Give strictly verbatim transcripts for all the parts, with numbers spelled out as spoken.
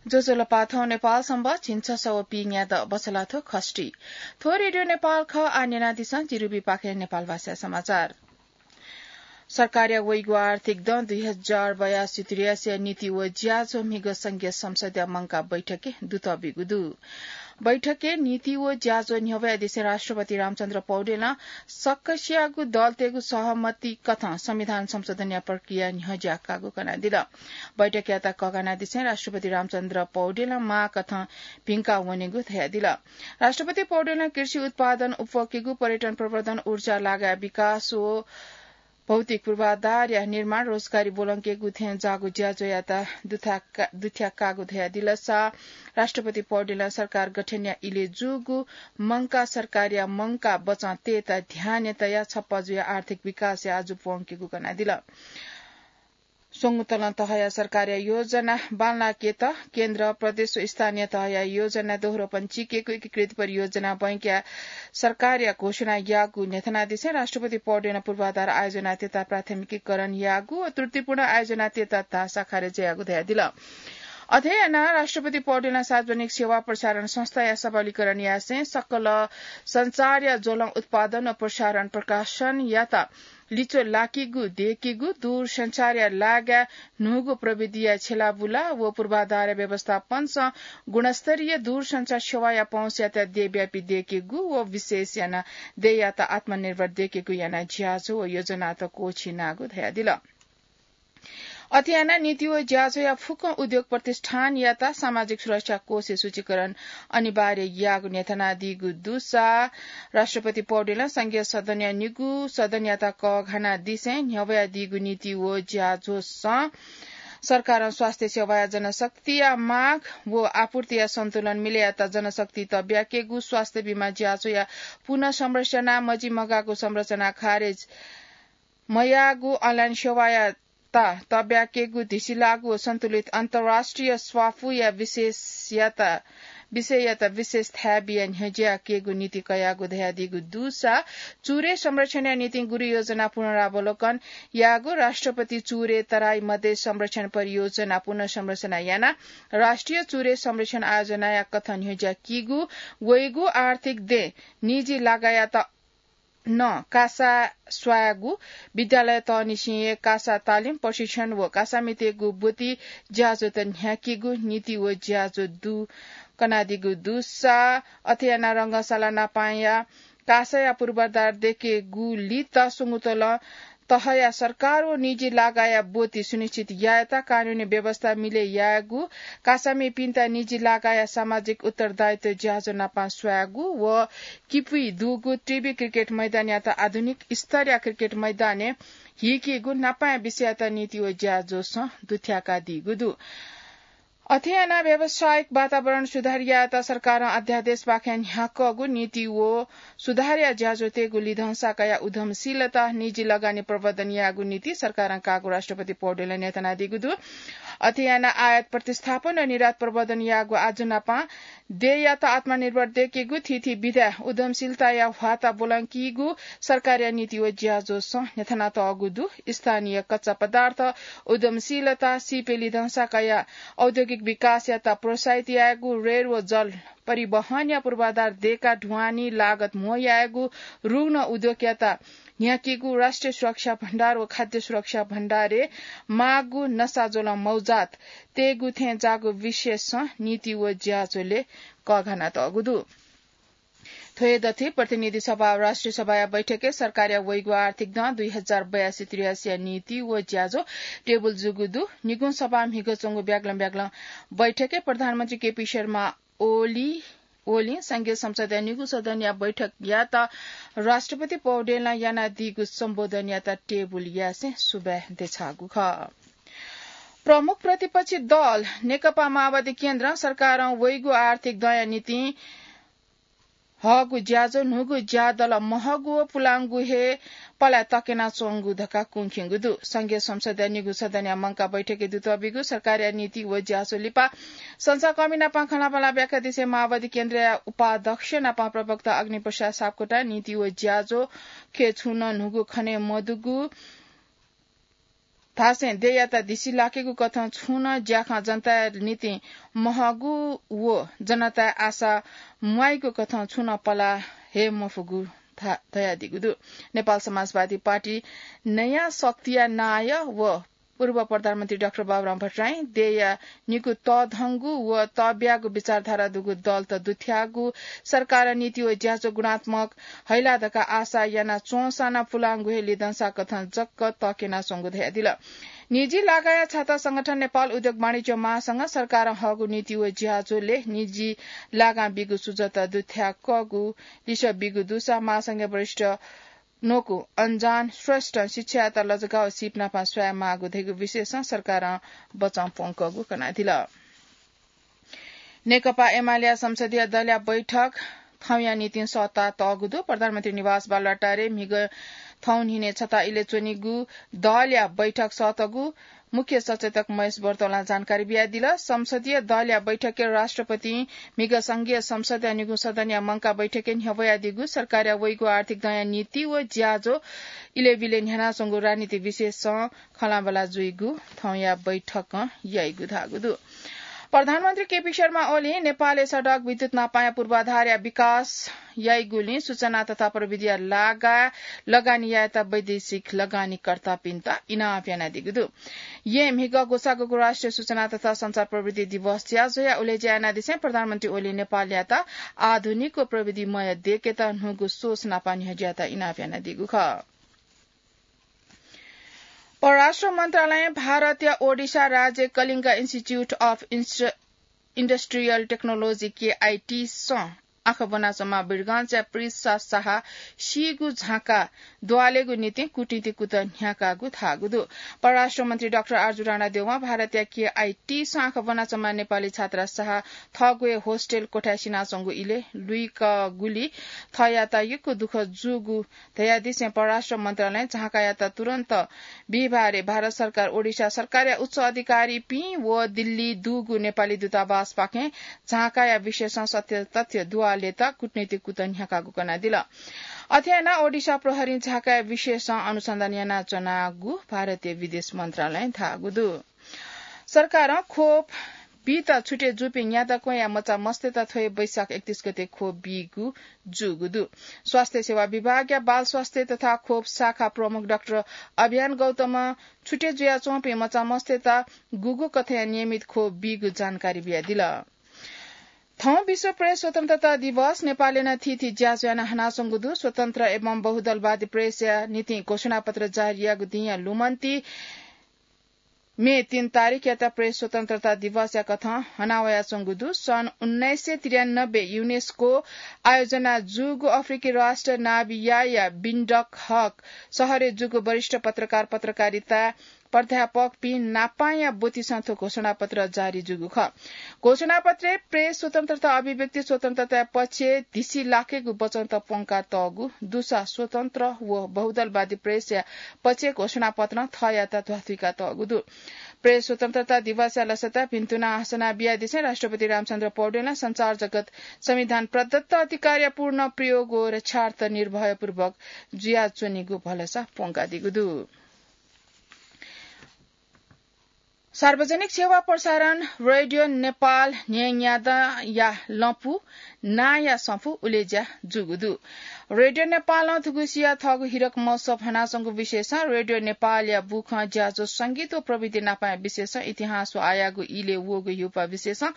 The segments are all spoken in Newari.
ज्वजलपा, थौं नेपाल संवत् झिंछसः व पीन्यादँ बछलाथ्व खष्ठी। थ्व रेडियो नेपाल खः। आः न्यनादिसँ जिरुबीपाखें नेपाल भाषा समाचार। सरकारया वइगु आर्थिक दँ दुई हजार बयासी त्रियासीया नीति व ज्याझ्वः म्हिगः संघीय संसदया मंकाः बैठके दुतःबिगु दु। बैठके नीति व ज्याझ्वः न्ह्यब्वयादिसें राष्ट्रपति रामचन्द्र पौडेलं सकसियागु दलतय्गु सहमति कथं संविधान संशोधनया प्रक्रिया न्ह्यज्याकागु कनादिल। बैठकयात कःघानादिसें राष्ट्रपति रामचन्द्र पौडेलं माःकथं भिंका वनेगु धयादिल। राष्ट्रपति पौडेलं कृषि उत्पादन, उपभोगकीगु पर्यटन प्रवर्धन, ऊर्जा लागाय् विकास व भौतिक पूर्वाधारया निर्माण, रोजगारी ब्वलंकेगु थें जाःगु ज्याझ्वःयात दुथ्याका-, दुथ्याकागु धयादिलसा राष्ट्रपति पौडेलं सरकार गठनया इलय् जूगु मंकाः सरकारया मंकाः बचं तयेत ध्याने तयाः छप्पा जुयाः आर्थिक विकासय् आजु प्वंकेगु कनादिल। स्वंगू तलं तहया सरकारया योजना बांलाकेत केन्द्र, प्रदेश व स्थानीय तहया योजना दोहोरोपन चिकेगु एकीकृत परियोजना बैंकया सरकारया घोषणा याःगु न्ह्यथनादिसें राष्ट्रपति पौडेलं पूर्वाधार आयोजना तयेत प्राथमिकीकरण याःगु व त्रुटिपूर्ण आयोजना तयेत धाःसा खारेज याःगु धयादिल। अथे यानाः राष्ट्रपति पौडेलं सार्वजनिक सेवा प्रसारण संस्थाया सबलीकरण यासें सकल सञ्चारया ज्वलं उत्पादन व प्रसारण प्रकाशनयात लिच्वः लाकीगु दयेकेगु, दूरसञ्चारया लागाय् न्हूगु प्रविधिया छ्यलाबुला व पूर्वाधारया व्यवस्थापनसं गुणस्तरीय दूरसञ्चार सेवाया पहुँचयात देय्‌ब्यापी दयेकेगु व विशेष यानाः देय्‌यात आत्मनिर्भर दयेकेगु यानाः ज्याझ्वः व योजनात क्वःछिनागु धयादिल। अथे यानाः नीति व ज्याझ्वःया फुक्क उद्योग प्रतिष्ठानयात सामाजिक सुरक्षा कोषय् सूचीकरण अनिवार्य याःगु न्ह्यथनादीगु दुसा राष्ट्रपति पौडेलं संघीय सदनया निगू सदनयात कःघानादिसें न्ह्यब्वयादीगु नीति व ज्याझ्वःसं सरकारं स्वास्थ्य सेवाया जनशक्तिया माग व आपूर्तिया सन्तुलन मिले यात जनशक्ति तब्याकेगु, स्वास्थ्य बीमा ज्याझ्वःया पुनर्संरचना, मजिमगाःगु संरचना खारेज मयाःगु, अनलाइन सेवायात तब्याकेगु, धिसिलाःगु व सन्तुलित अन्तर्राष्ट्रिय स्वाफूया विशेषयात, विषययात विशेष थाय् बियाः न्ह्यज्याकेगु नीति कयागु धयादीगु दुसा चुरे संरक्षणया निंतिं गुरुयोजना पुनरावलोकन याःगु, राष्ट्रपति चुरे तराई मधेश संरक्षण परियोजना पुनर्संरचना यानाः राष्ट्रिय चुरे संरक्षण आयोजनाया कथं न्ह्यज्याकीगु, वइगु आर्थिक दँय् निजी लागायात नं कासा स्वायेगु, विद्यालय तःनिसें हे कासा तालिम, प्रशिक्षण व कासामितय्गु ब्वति ज्याझ्वःत न्ह्याकीगु नीति व ज्याझ्वः दु कनादीगु दुसा अथे यानाः रंगशाला नापांया कासाया पूर्वाधार दयेकेगुलित स्वंगू तलं तहया सरकार व निजी लागाया ब्वति सुनिश्चित यायेत कानूनी व्यवस्था मिले यायेगु, कासामिपिन्त निजी लागाया सामाजिक उत्तरदायित्व ज्याझ्वः नापां स्वायेगु व किपुइ दुगु टिबी क्रिकेट मैदानयात आधुनिक स्तरया क्रिकेट मैदानय् हीकेगु नापाया विषययात नीति व ज्याझ्वःसं दुथ्याकादीगु दु। अथे यानाः व्यावसायिक वातावरण सुधार यायेत सरकारं अध्यादेशपाखें न्ह्याकःगु नीति व सुधारया ज्याझ्वः तयेगु लिधंसा कयाः उद्यमशीलता निजी लगानी प्रवर्धन यायेगु नीति सरकारं काःगु राष्ट्रपति पौडेलं न्ह्यथनादीगु दु। अथे यानाः आयात प्रतिस्थापन व निर्यात प्रवर्धन यायेगु आजु नापां देय्‌यात आत्मनिर्भर दयेकेगु, थीथी विधाय् उद्यमशीलताया ह्वाता ब्वलंकीगु सरकारया नीति व ज्याझ्वःसं न्ह्यथनातःगु दु। स्थानीय कच्चा पदार्थ उद्यमशीलता, सिपय् लिधंसा कयाः औद्योगिक विकासयात प्रोत्साहित यायेगु, रेल व जल परिवहनया पूर्वाधार दयेकाः ढुवानी लागत म्हो यायेगु, रुग्ण उद्योगयात न्ह्याकीगु, राष्ट्रिय सुरक्षा भण्डार व खाद्य सुरक्षा भण्डारय् माःगु नसाज्वलं मौजात तयेगु थें जाःगु विषयसं नीति व ज्याझ्वलय् कःघानातःगु दु। थ्व हे दथुइ प्रतिनिधि सभा व राष्ट्रिय सभाया बैठकय् सरकारया वइगु आर्थिक दँ दुई हजार बयासी त्रियासीया नीति व ज्याझ्वः टेबुल जूगु दु। निगू सभा म्हिगः च्वंगु ब्यागलं ब्यागलं बैठकय् प्रधानमन्त्री केपी शर्मा ओली, ओलीं संघीय संसदया निगू सदनया बैठकयात राष्ट्रपति पौडेलं यानादीगु सम्बोधनयात टेबुल यासें सुभाय् देछाःगु खः। प्रमुख प्रतिपक्षी दल नेकपा माओवादी केन्द्रं सरकारं वइगु आर्थिक दँया निंतिं हःगु ज्याझ्वः न्हूगु ज्यादल महःगु व पुलांगु हे पलाय् तकेनाच्वंगु धकाः कुंखिंगु दु। संघीय संसदया निगू सदनया मंकाः बैठकय् दुतःबिगु सरकारया नीति व ज्याझ्वः लिपा संचारकर्मी नाप खँल्हाबल्हा ब्याख्या दिसें माओवादी केन्द्रया उपाध्यक्ष नाप प्रवक्ता अग्निप्रसाद सापकोटां नीति व ज्याझ्वःखे छुं नं न्हूगु खने मदुगु धासें देय्‌यात दिसि लाकेगु कथं छुं नं ज्याखँ जनताया निंतिं महगु व जनताया आशा म्वाइगु कथं छुं नं पला हे मफुगु धा-, धयादीगु दु। नेपाल समाजवादी पार्टी नयाँ शक्तिया नायः व पूर्व प्रधानमन्त्री डाक्टर बाबुराम भट्टराई देय्‌या निकू तःधंगु व तःब्यागु विचारधारा दुगु दलत दुथ्याःगु सरकारं नीति व ज्याझ्वः गुणात्मक हइला धकाः आशा याना च्वंसां नं पुलांगु हे लिधंसा कथं जक्क तक्यनाच्वंगु धयादिल। निजी लागाया छाता संगठन नेपाल उद्योग वाणिज्य महासंघं सरकारं हःगु नीति व ज्याझ्वलय् निजी लागां बीगु सुझावत दुथ्याकःगु लिसः बीगु दुसा महासंघया वरिष्ठ न्वकू अञ्जान श्रेष्ठं शिक्षायात लजगाः व सीप नापं स्वाये माःगु धइगु विषयसं सरकारं बचं प्वंकःगु कनादिल। नेकपा एमालेया संसदीय दलया बैठक थौंया निंतिं सःता तःगु दु। प्रधानमन्त्री निवास बालुवाटारय् म्हिगः थौं न्हिनय् छता इलय् च्वनीगु दलया बैठक सःतःगु मुख्य सचेतक महेश बर्तौलां जानकारी बियादिल। संसदीय दलया बैठकय् राष्ट्रपतिं म्हिगः संघीय संसदया निगू सदनया मंकाः बैठकय् न्ह्यब्वयादीगु सरकारया वइगु आर्थिक दँया नीति व ज्याझ्वः इलय् बिलय् न्ह्यानाच्वंगु राजनीतिक विषयसं खँल्हाबल्हा जुइगु थौंया बैठकं याइगु धाःगु दु। प्रधानमन्त्री केपी शर्मा ओलीं नेपालय् सडक, विद्युत नापाया पूर्वाधारया विकास याइगुलिं सूचना तथा प्रविधिया लागा लगानी यायेत वैदेशिक लगानीकर्तापिन्त इनाप यानादीगु दु। येँ म्हिगः ग्वसाःगु राष्ट्रिय सूचना तथा सञ्चार प्रविधि दिवस ज्याझ्वःया उलेज्या यानादिसें प्रधानमन्त्री ओलीं नेपालयात आधुनिक व प्रविधिमय देकेत न्हूगु सोच नापं न्ह्यज्यायेत इनाप यानादीगु खः। परराष्ट्र मन्त्रालयं भारतया ओडिशा राज्य Kalinga Institute of Inst-, Industrial Technology, केआइटीसं आँखा ब्वनाच्वंम्ह वीरगञ्जया प्रेषा साहा सीगु झाँका दुवालेगु निंतिं कूटनीतिक कुतः न्ह्याकागु धाःगु दु। परराष्ट्र मन्त्री डाक्टर आरजु राणादेवं भारतया केआइटीसं आँखा ब्वनाच्वंम्ह नेपाली छात्रा साहा थःगु हे होस्टेल कोठाय् सिनाच्वंगु इलय् लुइकागुलिं थःयात यक्व दुःख जूगु धयादिसें परराष्ट्र मन्त्रालयं झाँकायात तुरुन्त बिहिबारय् भारत सरकार, ओडिशा सरकारया उच्च अधिकारीपिं व दिल्ली दुगु नेपाली दूतावासपाखें झाँकाया विषयसं सत्य तथ्य दुवालेत कूटनीतिक कुतः न्ह्याकागु कनादिल। अथे यानाः ओडिशा प्रहरीं झाँकाया विषयसं अनुसन्धान यानाच्वनागु भारतीय विदेश मन्त्रालयं धाःगु दु। सरकारं ख्वप बीत छुटे जूपिं न्यादँक्वँया मचा मस्तय्त थ्व हे वैशाख एकतीस गते ख्वप बीगु जूगु दु। स्वास्थ्य सेवा विभागया बाल स्वास्थ्य तथा ख्वप शाखा प्रमुख डाक्टर अभियान गौतमं छुटे जुयाच्वंपिं मचा मस्तय्त गुगु कथंया नियमित ख्वप बीगु जानकारी बियादिल। थौं विश्व प्रेस स्वतन्त्रता दिवस। नेपालय् नं थीथी ज्याझ्वः यानाः हनाच्वंगु दु। स्वतन्त्र एवं बहुदलवादी प्रेसया निंतिं घोषणापत्र जारी याःगु दिंया लुमन्ति मे तीन तारिखयात प्रेस स्वतन्त्रता दिवसया कथं हनावयाच्वंगु दु। सन् उन्नाइस सय त्रियानब्बे युनेस्को आयोजना जूगु अफ्रिकी राष्ट्र नामिबियाया विन्डहक सहरय् जूगु वरिष्ठ पत्रकार पत्रकारिता प्राध्यापकपिं नापांया ब्वतिसं थ्व घोषणापत्र जारी जूगु खः। घोषणापत्रय् प्रेस स्वतन्त्रता, अभिव्यक्ति स्वतन्त्रताया पक्षय् धिसि लाकेगु वचनत प्वंकातःगु दुसा स्वतन्त्र व बहुदलवादी प्रेसया पक्षय् घोषणापत्रं थःयात ध्वाथुइकातःगु दु। प्रेस स्वतन्त्रता दिवसया लसता भिन्तुना हसना बियादिसें राष्ट्रपति रामचन्द्र पौडेलं सञ्चार जगत संविधान प्रदत्त अधिकारया पूर्ण प्रयोग व रक्षार्थ निर्भयपूर्वक जुयाच्वनीगु भलसा प्वंकादीगु दु। सार्वजनिक सेवा प्रसारण रेडियो नेपाल न्हय्‌न्यादँया लँपु नांया सफू उलेज्या जूगु दु। रेडियो नेपालं थुगुसिया थःगु हिरक महोत्सव हनाच्वंगु विषयसं रेडियो नेपालया बुखँ ज्याझ्वः संगीत व प्रविधि नापाया विषयसं इतिहास व आयागु इलय् वःगु हिउपा विषयसं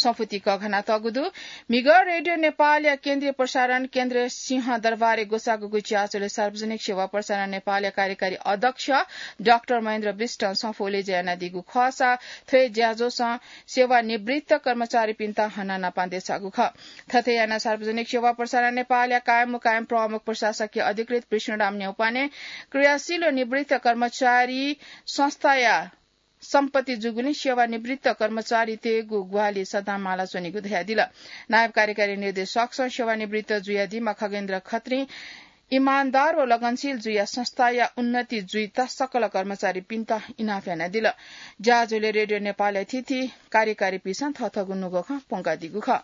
सफूति कःघानातःगु दु। म्हिगः रेडियो नेपालया केन्द्रीय प्रसारण केन्द्र सिंहदरबारय् ग्वसाःगु ज्याझ्वलय् सार्वजनिक सेवा प्रसारण नेपालया कार्यकारी अध्यक्ष डाक्टर महेन्द्र विष्टं सफू उलेज्या यानादीगु खःसा थ्व हे ज्याझ्वलय् सेवानिवृत्त कर्मचारीपिन्त हनाः नापं देछाःगु खः। थथे यानाः सार्वजनिक सेवा प्रसारण नेपालया कायम व कायम प्रमुख प्रशासकीय अधिकृत विष्णुराम न्यौपाने, क्रियाशील व निवृत्त कर्मचारी संस्थाया सम्पत्ति जूगुलिं सेवानिवृत्त कर्मचारीतय्‌गु ग्वाहालि सदां माला च्वनीगु धयादिल। नायब कार्यकारी निर्देशकसं सेवानिवृत्त जुयादीम्ह खगेन्द्र खत्रीं इमानदार व लगनशील जुयाः संस्थाया उन्नति जुइत सकल कर्मचारीपिन्त इनाप यानादिल। ज्याझ्वलय् रेडियो नेपालया थीथी कार्यकारीपिन्सं थःथःगु नुगः खँ प्वंकादीगु खः।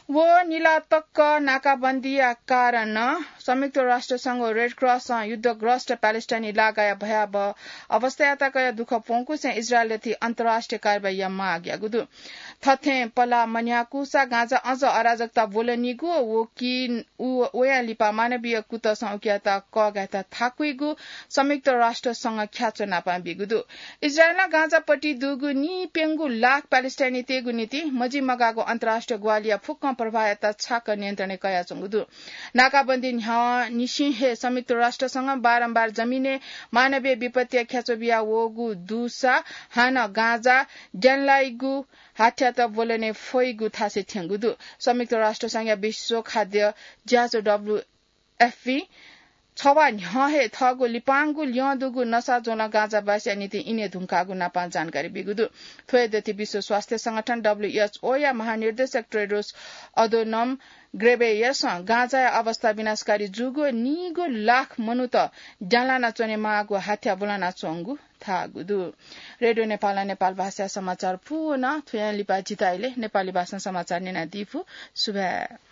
व निला तक नाकाबन्दीया कारण संयुक्त राष्ट्रसंघ व रेड क्रसं युद्धग्रस्त प्यालेस्टाइनी इलाकाया भयावह अवस्थायात कयाः दुःख प्वंकुसें इजरायलयाथाय् अन्तर्राष्ट्रिय कारवाहीया माग याःगु दु। थथें पला मन्ह्याकूसा गाजा अझ अराजकता ब्वलनीगु व कि उ वयां लिपा मानवीय कुतसं उकियात कःघायेत थाकुइगु संयुक्त राष्ट्रसंघ ख्याच्वनापां बीगु दु। इजरायलं गाजापट्टि दुगु नीप्यंगू लाख प्यालेस्टाइनीतय्गु निंतिं मजिमगाःगु अन्तर्राष्ट्रिय ग्वाहालिया फुक्कं प्रभावयात छाक नियन्त्रणय् कयाच्वंगु दु। नाकाबन्दी न्ह्याः निसें हे संयुक्त राष्ट्रसंघं बारम्बार जमिनय् मानवीय विपत्तिया ख्याच्वः बिया वःगु दुसा हानं गाजा ज्यानलाइगु हाथ्यात ब्वलने फइगु थासय् थ्यंगु दु। संयुक्त राष्ट्रसंघया विश्व खाद्य ज्याझ्वः डब्ल्यू एफपी छवाः न्ह्यः हे थःगु लिपांगु ल्यं दुगु नसा ज्वलं गाजाबासीया निंतिं इने धुंकाःगु नापां जानकारी बीगु दु। थ्व हे दथुइ विश्व स्वास्थ्य संगठन डब्ल्यूएचओया महानिर्देशक टेड्रोस अधोनम ग्रेबेयसं गाजाया अवस्था विनाशकारी जूगु नीगू लाख मनूत ज्यानलाना च्वनेमाःगु हाथ्या ब्वलनाच्वंगु धाःगु दु। रेडियो नेपालं नेपाल भाषाया समाचार पूवं थुयां लिपा जितः इलय् नेपाली भाषां समाचार न्यनादीफु। सुभाय्।